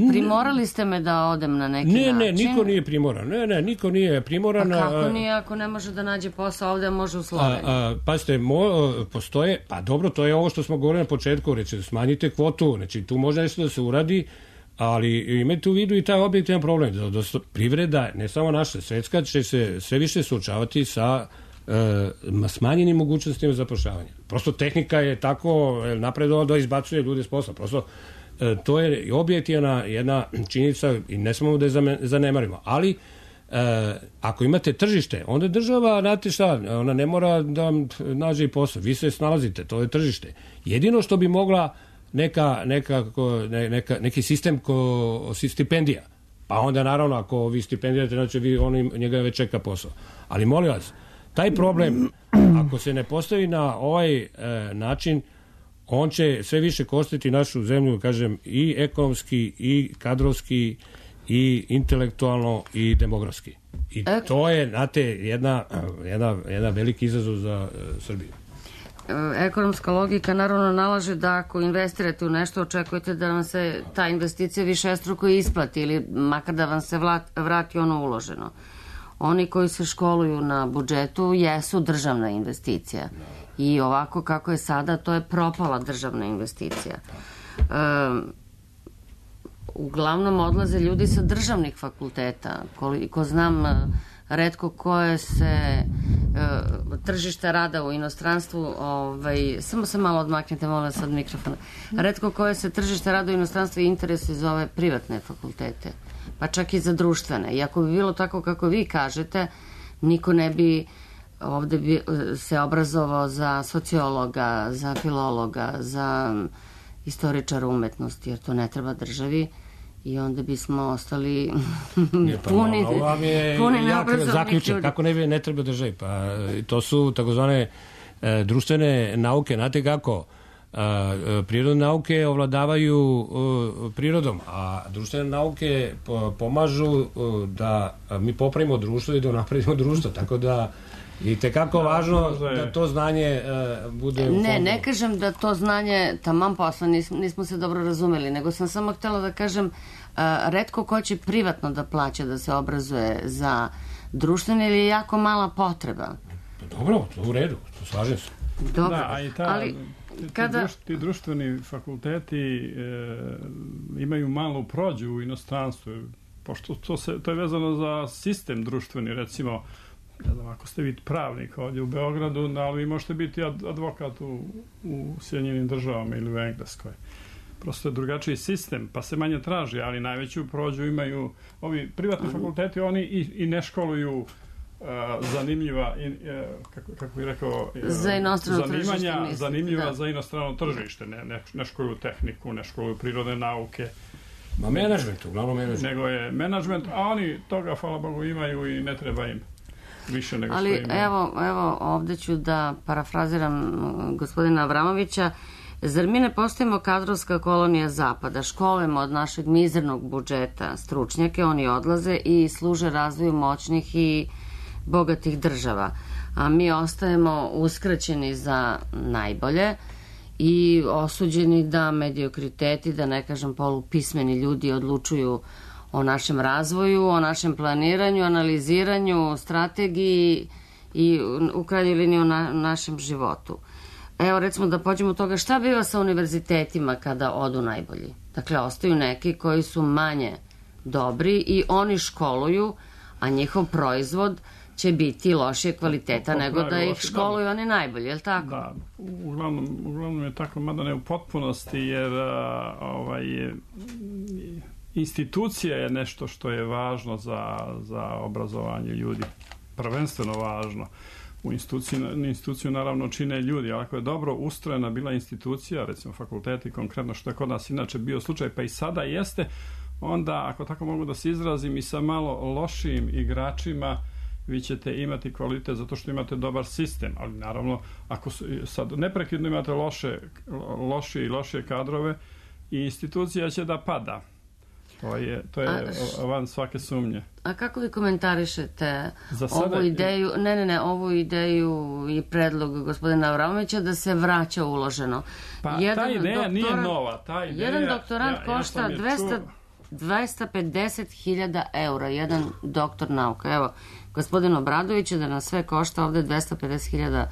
Primorali ste me da odem na neki ne, način? Ne, ne, niko nije primoran. Ne, ne, niko nije primoran. Pa kako nije ako ne može da nađe posao ovde, može u Sloveniji? Pazite, mo, postoje, pa dobro, to je ovo što smo govorili na početku, reći, smanjite kvotu, znači tu može nešto da se uradi, ali imajte u vidu i taj objektivan problem. Da, da privreda, ne samo naša, svetska, će se sve više suočavati sa e, smanjenim mogućnostima zapošljavanja. Prosto tehnika je tako napredovala da izbacuje ljude s posla. Prosto to je objektivna jedna činjenica i ne smemo da je zanemarimo. Ali, e, ako imate tržište, onda država, znate šta, ona ne mora da nađe i posao. Vi se snalazite, to je tržište. Jedino što bi mogla neka, neka, neka, neki sistem ko, stipendija. Pa onda, naravno, ako vi stipendijate, znači vi, on, njega već čeka posao. Ali, molim vas, taj problem, ako se ne postavi na ovaj e, način, on će sve više koštiti našu zemlju, kažem, i ekonomski, i kadrovski, i intelektualno, i demografski. I e... to je, znate, jedna, jedna, jedna veliki izazov za uh, Srbiju. Ekonomska logika naravno nalaže da ako investirate u nešto, očekujete da vam se ta investicija višestruko isplati ili makar da vam se vrati ono uloženo. Oni koji se školuju na budžetu jesu državna investicija. I ovako kako je sada, to je propala državna investicija. E, uglavnom odlaze ljudi sa državnih fakulteta. Koliko znam, retko koje se e, tržište rada u inostranstvu, ovaj, samo se malo odmaknite, molim sad mikrofona, retko koje se tržište rada u inostranstvu interesuje za ove privatne fakultete, pa čak i za društvene. I ako bi bilo tako kako vi kažete, niko ne bi ovde bi se obrazovao za sociologa, za filologa, za istoričara umetnosti, jer to ne treba državi i onda bismo ostali pa, puni, ovo vam je puni jak zaključak, kako ne, ne treba državi. Pa to su takozvane e, društvene nauke, znate kako? A, prirodne nauke ovladavaju a, prirodom, a društvene nauke po, pomažu a, da mi popravimo društvo i da napravimo društvo, tako da i tekako važno da to znanje uh, bude u fondu. Ne, ne kažem da to znanje taman posla, nismo, nismo se dobro razumeli, nego sam samo htjela da kažem uh, retko ko će privatno da plaća da se obrazuje za društvene ili je jako mala potreba. Dobro, to u redu, to slažem se. Dobro, da, a i ta, ali ti, kada... ti, ti društveni fakulteti e, imaju malu prođu u inostranstvu, pošto to, se, to je vezano za sistem društveni, recimo, ne znam, ako ste vi pravnik ovdje u Beogradu, ali vi možete biti advokat u, u Sjedinjenim državama ili u Engleskoj. Prosto je drugačiji sistem, pa se manje traži, ali najveću prođu imaju ovi privatni fakulteti, oni i, i ne školuju uh, zanimljiva, i, uh, kako, kako bih rekao, uh, za inostrano zanimanja, tržište, zanimljiva da. za inostrano tržište, ne, ne, ne školuju tehniku, ne školuju prirodne nauke. Ma menadžment, uglavnom menadžment. Nego je menadžment, a oni toga, hvala Bogu, imaju i ne treba im. Više nego ali što imaju. evo, evo ovdje ću da parafraziram gospodina Avramovića. Zar mi ne postajemo kadrovska kolonija zapada? Školujemo od našeg mizernog budžeta stručnjake, oni odlaze i služe razvoju moćnih i bogatih država. A mi ostajemo uskraćeni za najbolje i osuđeni da mediokriteti, da ne kažem polupismeni ljudi odlučuju o našem razvoju, o našem planiranju, analiziranju, strategiji i u krajnjoj liniji o na, našem životu. Evo, recimo da pođemo od toga šta biva sa univerzitetima kada odu najbolji. Dakle, ostaju neki koji su manje dobri i oni školuju, a njihov proizvod će biti lošije kvaliteta nego da ih školuju oni najbolji, je li tako? Da, uglavnom, uglavnom je tako, mada ne u potpunosti, jer a, ovaj, institucija je nešto što je važno za, za obrazovanje ljudi. Prvenstveno važno. U instituciju, instituciju naravno čine ljudi, ali ako je dobro ustrojena bila institucija, recimo fakulteti konkretno, što je kod nas inače bio slučaj, pa i sada jeste, onda, ako tako mogu da se izrazim, i sa malo lošim igračima vi ćete imati kvalitet zato što imate dobar sistem, ali naravno ako sad neprekidno imate loše, loše i loše kadrove i institucija će da pada. To je, to je a, van svake sumnje. A kako vi komentarišete sada, ovu ideju, ne, ne, ne, ovu ideju i predlog gospodina Avramovića da se vraća uloženo? Pa jedan ta ideja doktorat, nije nova. Ta ideja, jedan doktorant ja, košta ja dvesta, dvesta pedeset hiljada eura, jedan doktor nauka. Evo, gospodin Obradović je da nas sve košta ovde dvesta pedeset hiljada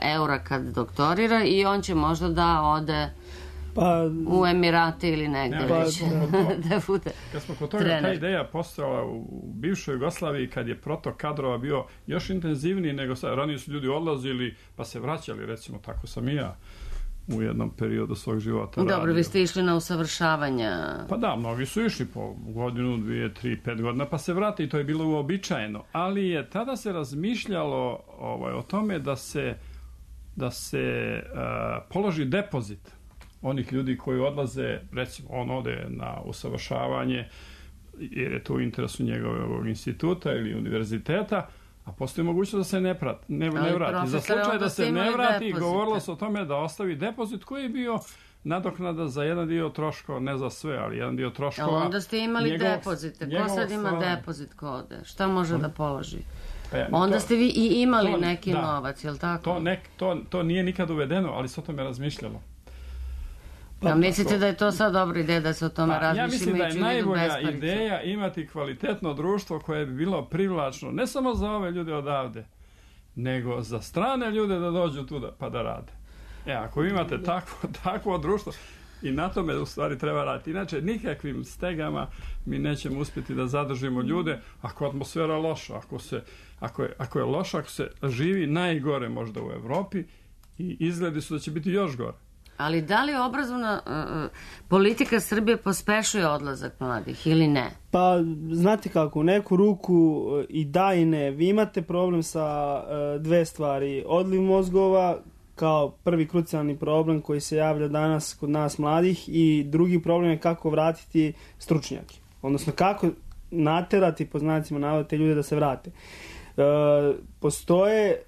eura kad doktorira i on će možda da ode pa, u Emirate ili negde pa, već da bude kad smo kod toga, trener. Ta ideja postojala u bivšoj Jugoslaviji kad je protok kadrova bio još intenzivniji nego sad. Ranije su ljudi odlazili pa se vraćali, recimo tako sam i ja u jednom periodu svog života Dobro, radio. Vi ste išli na usavršavanja. Pa da, mnogi su išli po godinu, dvije, tri, pet godina pa se vrate i to je bilo uobičajeno. Ali je tada se razmišljalo ovaj, o tome da se da se uh, položi depozit onih ljudi koji odlaze, recimo on ode na usavršavanje jer je to u interesu njegovog instituta ili univerziteta, a postoji mogućnost da se ne, prat, ne, ne vrati. Za slučaj da se ne vrati, depozite. Govorilo se o tome da ostavi depozit koji je bio nadoknada za jedan dio troškova, ne za sve, ali jedan dio troškova. A onda ste imali njegov, depozite. Ko sad ima stvar... depozit ko ode? Šta može on... da položi? Pa ja, onda to, ste vi i imali to, neki da, novac, je li tako? To, nek, to, to nije nikad uvedeno, ali se o tome razmišljalo. Pa, mislite to, da je to sad dobra ideja da se o tome pa, razmišlja? Ja mislim da je najbolja ideja imati kvalitetno društvo koje bi bilo privlačno, ne samo za ove ljude odavde, nego za strane ljude da dođu tu da, pa da rade. E, ako imate takvo, takvo društvo, i na tome u stvari treba raditi. Inače, nikakvim stegama mi nećemo uspjeti da zadržimo ljude ako je atmosfera loša, ako, se, ako, je, ako je loša, ako se živi najgore možda u Evropi i izgledi su da će biti još gore. Ali da li obrazovna uh, politika Srbije pospešuje odlazak mladih ili ne? Pa, znate kako, u neku ruku i da i ne. Vi imate problem sa uh, dve stvari. Odliv mozgova kao prvi krucijalni problem koji se javlja danas kod nas mladih i drugi problem je kako vratiti stručnjake. Odnosno kako naterati, po znacima navoda, te ljude da se vrate. Uh, postoje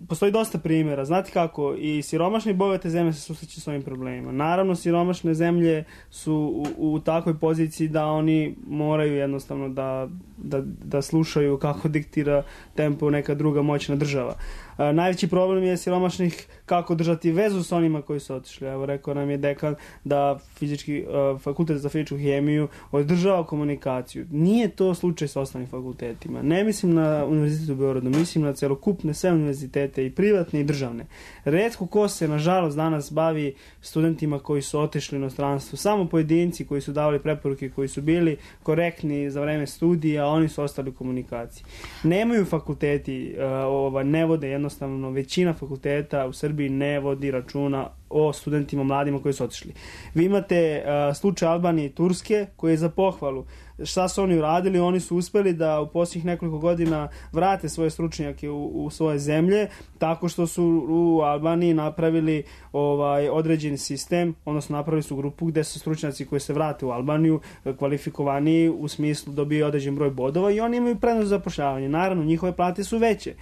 Postoji dosta primjera. Znate kako, i siromašne i bogate zemlje se susreću s ovim problemima. Naravno, siromašne zemlje su u, u takvoj poziciji da oni moraju jednostavno da, da, da slušaju kako diktira tempo neka druga moćna država. A, najveći problem je siromašnih kako držati vezu s onima koji su otišli. Evo, rekao nam je dekan da fizički, a, fakultet za fizičku hemiju održava komunikaciju. Nije to slučaj s ostalim fakultetima. Ne mislim na Univerzitet u Beogradu, mislim na celokupne sve univerzitete, i privatne i državne. Retko ko se, nažalost, danas bavi studentima koji su otišli u inostranstvo. Samo pojedinci koji su davali preporuke, koji su bili korektni za vreme studija, a oni su ostali u komunikaciji. Nemaju fakulteti, uh, ova, ne vode jednostavno, većina fakulteta u Srbiji ne vodi računa o studentima mladima koji su otišli. Vi imate uh, slučaj Albanije i Turske koji je za pohvalu. Šta su oni uradili? Oni su uspeli da u posljednjih nekoliko godina vrate svoje stručnjake u, u svoje zemlje tako što su u Albaniji napravili ovaj određeni sistem, odnosno napravili su grupu gde su stručnjaci koji se vrate u Albaniju kvalifikovani u smislu dobiju određen broj bodova i oni imaju prednost za zapošljavanje. Naravno, njihove plate su veće.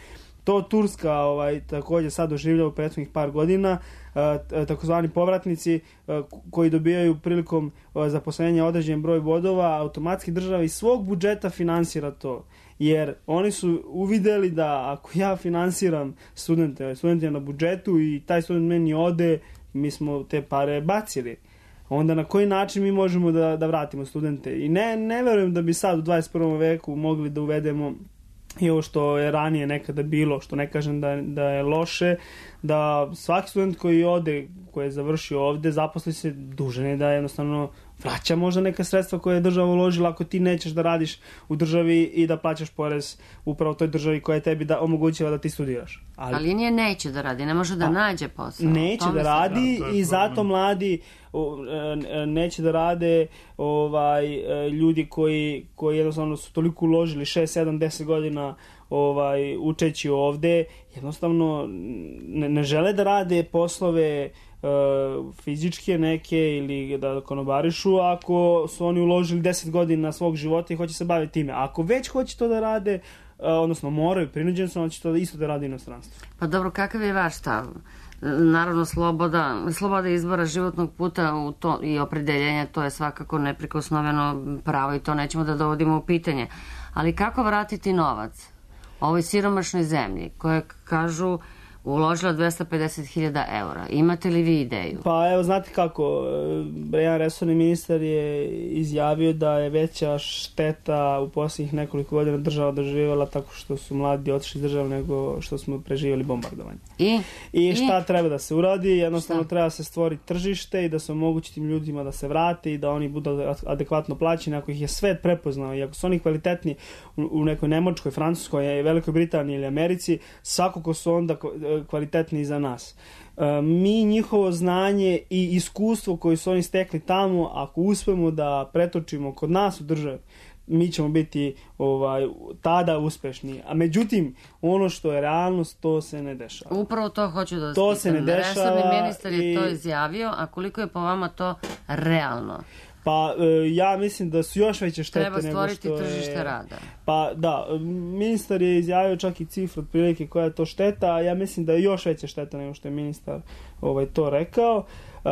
To Turska ovaj, također sad doživlja u prethodnih par godina, takozvani povratnici koji dobijaju prilikom zaposlenja određen broj bodova, automatski država iz svog budžeta finansira to. Jer oni su uvideli da ako ja finansiram studente, studente na budžetu i taj student meni ode, mi smo te pare bacili. Onda na koji način mi možemo da, da vratimo studente? I ne, ne verujem da bi sad u dvadeset prvom veku mogli da uvedemo i ovo što je ranije nekada bilo, što ne kažem da, da je loše, da svaki student koji ode, koji je završio ovde, zaposli se, dužan je da jednostavno vraća možda neka sredstva koje je država uložila ako ti nećeš da radiš u državi i da plaćaš porez upravo toj državi koja je tebi da omogućava da ti studiraš. Ali, Ali nije neće da radi, ne može da a, nađe posao. Neće da radi da, i zato mladi neće da rade ovaj ljudi koji, koji jednostavno su toliko uložili šest, sedam, deset godina ovaj učeći ovde, jednostavno ne, ne žele da rade poslove uh, fizičke neke ili da konobarišu ako su oni uložili deset godina svog života i hoće se baviti time. Ako već hoće to da rade, uh, odnosno moraju, prinuđeni su, on će to isto da radi inostranstvo. Pa dobro, kakav je vaš stav? Naravno, sloboda, sloboda izbora životnog puta u to, i opredeljenja, to je svakako neprikosnoveno pravo i to nećemo da dovodimo u pitanje. Ali kako vratiti novac ovoj siromašnoj zemlji koje kažu uložila dvesta pedeset hiljada eura? Imate li vi ideju? Pa evo, znate kako, jedan resorni ministar je izjavio da je veća šteta u posljednjih nekoliko godina država doživjela tako što su mladi otišli iz države nego što smo preživjeli bombardovanje. I? I šta I? treba da se uradi? Jednostavno šta? Treba se stvoriti tržište i da se omogući tim ljudima da se vrate i da oni budu adekvatno plaćeni. Ako ih je svet prepoznao i ako su oni kvalitetni u, u nekoj Nemačkoj, Francuskoj, Velikoj Britaniji ili Americi, svakako su onda kvalitetni za nas. E, mi njihovo znanje i iskustvo koje su oni stekli tamo, ako uspemo da pretočimo kod nas u državi, mi ćemo biti ovaj, tada uspešni. A međutim, ono što je realnost, to se ne dešava. Upravo to hoću da to se ne dešava. Resorni ministar je i... to izjavio, a koliko je po vama to realno? Pa ja mislim da su još veće štete nego što je... Treba stvoriti tržište rada. Pa da, ministar je izjavio čak i cifru otprilike koja je to šteta, a ja mislim da je još veća šteta nego što je ministar ovaj, to rekao. Uh,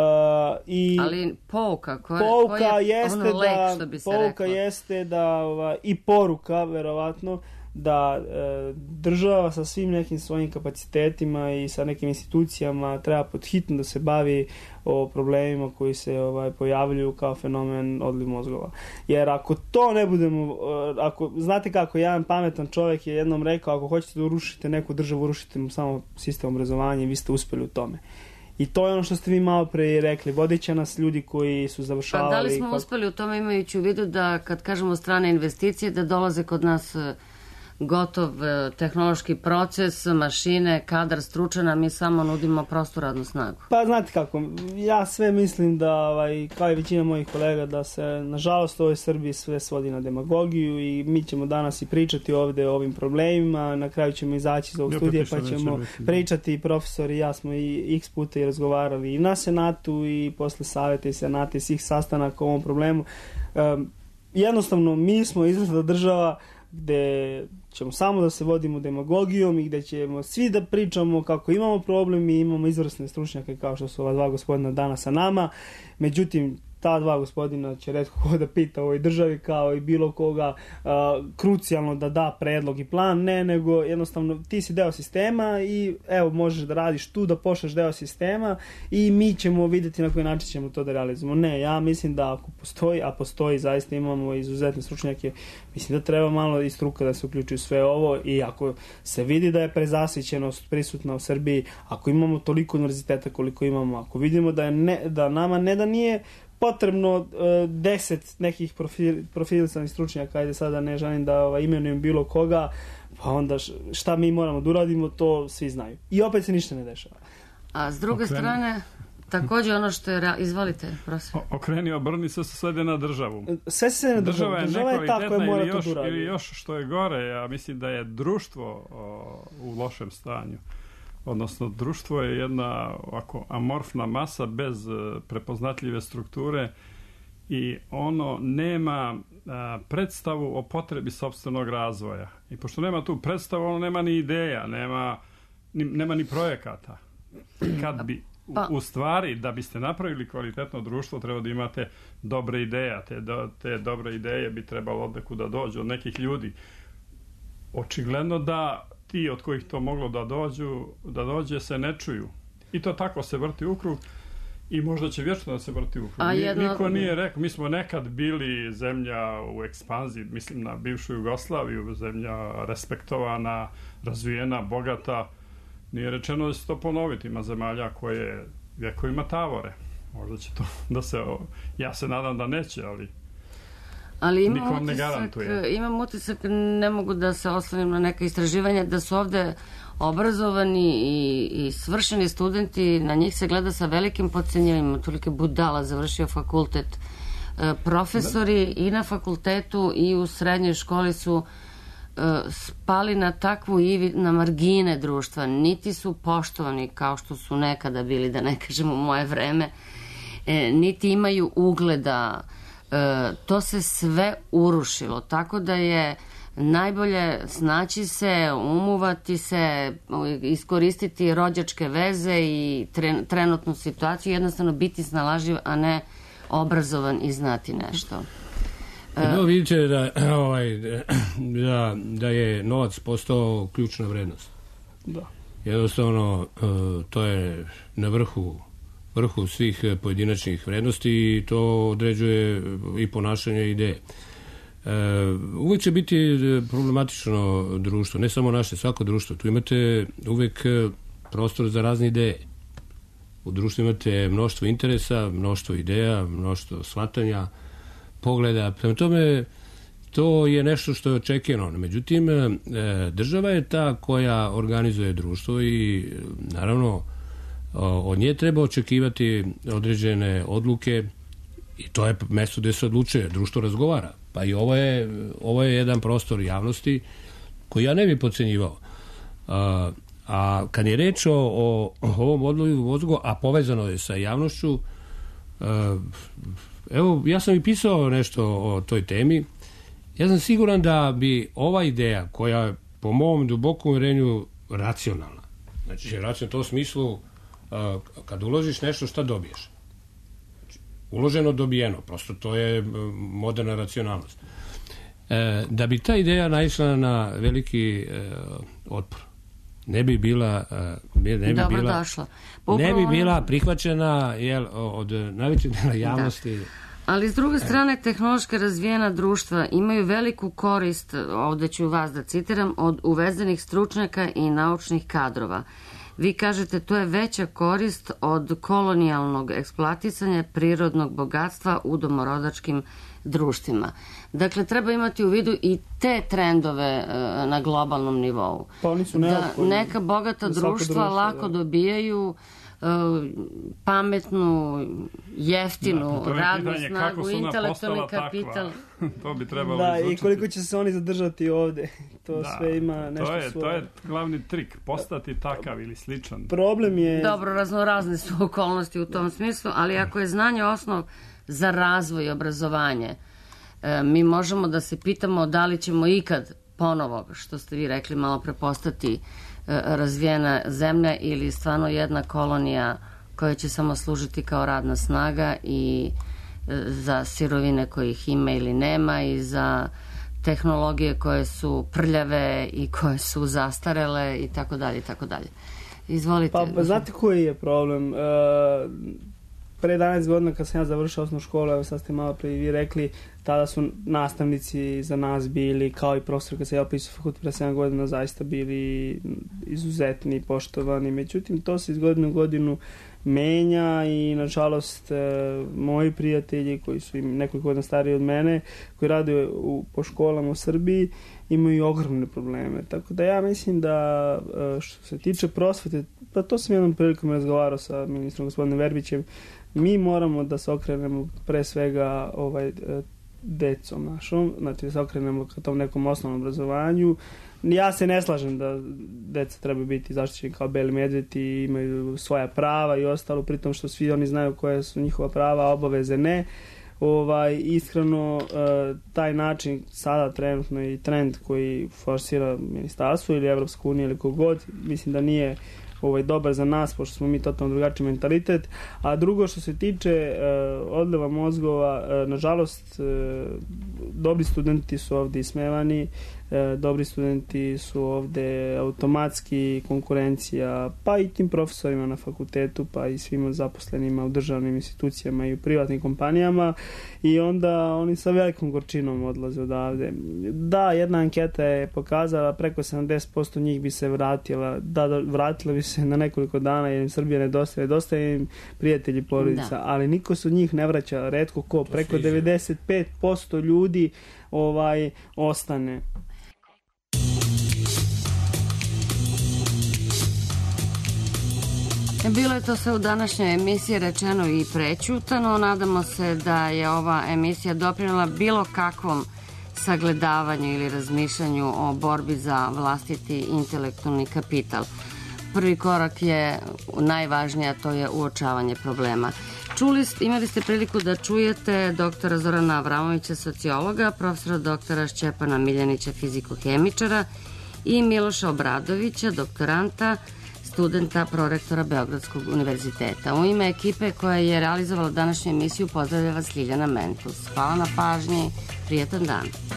i ali pouka, koja, pouka koja je jeste ono lek, da, što bi se pouka reklo. jeste da, ovaj, i poruka, verovatno, da e, država sa svim nekim svojim kapacitetima i sa nekim institucijama treba podhitno da se bavi o problemima koji se ovaj, pojavljuju kao fenomen odliv mozgova. Jer ako to ne budemo, ako, znate kako, jedan pametan čovjek je jednom rekao, ako hoćete da urušite neku državu, urušite mu samo sistem obrazovanja i vi ste uspeli u tome. I to je ono što ste vi malo pre rekli, vodit će nas ljudi koji su završavali... Pa da li smo uspeli u tome, imajući u vidu da kad kažemo strane investicije, da dolaze kod nas gotov tehnološki proces, mašine, kadar stručan, a mi samo nudimo prostu radnu snagu. Pa znate kako, ja sve mislim da, ovaj, kao i većina mojih kolega, da se nažalost u ovoj Srbiji sve svodi na demagogiju i mi ćemo danas i pričati ovde o ovim problemima, na kraju ćemo izaći iz ovog ja, studija pa ćemo pričati i profesor i ja smo i x puta i razgovarali i na Senatu i posle saveta i Senata i svih sastanaka o ovom problemu. Um, jednostavno mi smo izvršna država gde ćemo samo da se vodimo demagogijom i gde ćemo svi da pričamo kako imamo problem i imamo izvrsne stručnjake kao što su ova dva gospodina danas sa nama. Međutim, ta dva gospodina će retko ko da pita u ovoj državi kao i bilo koga uh, krucijalno da da predlog i plan, ne, nego jednostavno ti si deo sistema i evo možeš da radiš tu, da pošleš deo sistema i mi ćemo vidjeti na koji način ćemo to da realizujemo. Ne, ja mislim da ako postoji, a postoji, zaista imamo izuzetne stručnjake, mislim da treba malo i struka da se uključi u sve ovo i ako se vidi da je prezasićenost prisutna u Srbiji, ako imamo toliko univerziteta koliko imamo, ako vidimo da, je ne, da nama ne da nije potrebno uh, deset nekih profil, profilisanih stručnjaka, ajde sada ne želim da ovaj, imenujem bilo koga, pa onda šta mi moramo da uradimo, to svi znaju. I opet se ništa ne dešava. A s druge Okreni. strane, također ono što je... Izvolite, prosim. Okreni, obrni se svede na državu. Sve se na državu. Država je, država je ta koja mora još, to da uradi. Ili još što je gore, ja mislim da je društvo o, u lošem stanju. Odnosno, društvo je jedna ovako amorfna masa bez prepoznatljive strukture i ono nema a, predstavu o potrebi sopstvenog razvoja. I pošto nema tu predstavu, ono nema ni ideja, nema ni, nema ni projekata. Kad bi, u, u stvari, da biste napravili kvalitetno društvo, treba da imate dobre ideje. Te, do, te dobre ideje bi trebalo od nekuda dođu, od nekih ljudi. Očigledno da ti od kojih to moglo da dođu, da dođe se ne čuju. I to tako se vrti u krug i možda će vječno da se vrti u krug. Jedno... Niko nije rekao, mi smo nekad bili zemlja u ekspanziji, mislim na bivšu Jugoslaviju, zemlja respektovana, razvijena, bogata. Nije rečeno da će to ponoviti, ima zemalja koje vjekovima tavore. Možda će to da se, ja se nadam da neće, ali Ali imam utisak, imam utisak, ne mogu da se oslonim na neka istraživanja, da su ovde obrazovani i, i svršeni studenti, na njih se gleda sa velikim podcenjivanjem, tolike budala, završio fakultet. E, profesori da. i na fakultetu i u srednjoj školi su e, spali na takvu ivi, na margine društva, niti su poštovani kao što su nekada bili, da ne kažem u moje vreme, e, niti imaju ugleda. E, to se sve urušilo, tako da je najbolje snaći se, umuvati se, iskoristiti rođačke veze i tre, trenutnu situaciju, jednostavno biti snalažljiv, a ne obrazovan i znati nešto. E, no, vidite da, ovaj, da, da je novac postao ključna vrednost. Da. Jednostavno, to je na vrhu vrhu svih pojedinačnih vrednosti i to određuje i ponašanje i ideje. E, uvek će biti problematično društvo, ne samo naše, svako društvo. Tu imate uvek prostor za razne ideje. U društvu imate mnoštvo interesa, mnoštvo ideja, mnoštvo shvatanja, pogleda. Prema tome, to je nešto što je očekivano. Međutim, država je ta koja organizuje društvo i naravno od nje treba očekivati određene odluke i to je mesto gde se odlučuje, društvo razgovara. Pa i ovo je, ovo je jedan prostor javnosti koji ja ne bih podcenjivao. A, a kad je reč o, o ovom odlivu mozgova, a povezano je sa javnošću, a, evo, ja sam i pisao nešto o toj temi. Ja sam siguran da bi ova ideja, koja je po mom dubokom uvjerenju racionalna, znači racionalna u tom smislu, kad uložiš nešto, šta dobiješ? Uloženo, dobijeno. Prosto to je moderna racionalnost. E, da bi ta ideja naišla na veliki e, otpor, ne bi bila ne bi Dobro bila došlo. ne bi bila prihvaćena jel, od najvećeg dela javnosti. Da. Ali s druge strane, tehnološki razvijena društva imaju veliku korist, ovde ću vas da citiram, od uvezenih stručnjaka i naučnih kadrova. Vi kažete, to je veća korist od kolonijalnog eksploatisanja prirodnog bogatstva u domorodačkim društvima. Dakle, treba imati u vidu i te trendove e, na globalnom nivou. Pa oni su da neka bogata društva društvo, lako da. dobijaju e, pametnu, jeftinu da, radnu snagu, intelektualni kapital. To bi trebalo da, izučiti. I koliko će se oni zadržati ovde. To da, sve ima nešto to je, svoje. To je glavni trik, postati takav ili sličan. Problem je... Dobro, raznorazne su okolnosti u tom smislu, ali ako je znanje osnov za razvoj i obrazovanje, e, mi možemo da se pitamo da li ćemo ikad ponovo, što ste vi rekli, malo prepostati e, razvijena zemlja ili stvarno jedna kolonija koja će samo služiti kao radna snaga i e, za sirovine kojih ima ili nema i za tehnologije koje su prljave i koje su zastarele i tako dalje i tako dalje. Izvolite. Pa, pa znate koji je problem? Uh, pre jedanaest godina kad sam ja završao osnovnu školu, evo sad ste malo pre i vi rekli, tada su nastavnici za nas bili, kao i profesor kad se ja opisao fakultet pre sedam godina, zaista bili izuzetni, poštovani. Međutim, to se iz godine u godinu menja i nažalost moji prijatelji koji su im nekoliko godina stariji od mene, koji rade u, po školama u Srbiji, imaju ogromne probleme. Tako da ja mislim da što se tiče prosvete, pa to sam jednom prilikom razgovarao sa ministrom gospodinom Verbićem, mi moramo da se okrenemo pre svega ovaj, decom našom, znači da se okrenemo ka tom nekom osnovnom obrazovanju. Ja se ne slažem da deca treba biti zaštićeni kao beli medvedi i imaju svoja prava i ostalo, pritom što svi oni znaju koje su njihova prava, a obaveze ne. Ovaj, iskreno, taj način sada trenutno i trend koji forsira ministarstvo ili Evropska unija ili kogod, mislim da nije ovaj, dobar za nas, pošto smo mi totalno drugačiji mentalitet. A drugo, što se tiče uh, odleva mozgova, uh, nažalost, uh, dobri studenti su ovde ismevani, uh, dobri studenti su ovde automatski konkurencija, pa i tim profesorima na fakultetu, pa i svima zaposlenima u državnim institucijama i u privatnim kompanijama, i onda oni sa velikom gorčinom odlaze odavde. Da, jedna anketa je pokazala preko sedamdeset posto njih bi se vratila, da, da vratila bi se na nekoliko dana jer im Srbija nedostaje, nedostaje im prijatelji, porodica, da. Ali niko se od njih ne vraća, retko ko, preko devedeset pet posto ljudi ovaj ostane. Bilo je to sve u današnjoj emisiji rečeno i prećutano. Nadamo se da je ova emisija doprinela bilo kakvom sagledavanju ili razmišljanju o borbi za vlastiti intelektualni kapital. Prvi korak je najvažniji, a to je uočavanje problema. Čuli, imali ste priliku da čujete doktora Zorana Avramovića, sociologa, profesora doktora Šćepana Miljanića, fiziko-hemičara i Miloša Obradovića, doktoranta, studenta, prorektora Beogradskog univerziteta. U ime ekipe koja je realizovala današnju emisiju pozdravlja vas Ljiljana Mentus. Hvala na pažnji, prijetan dan.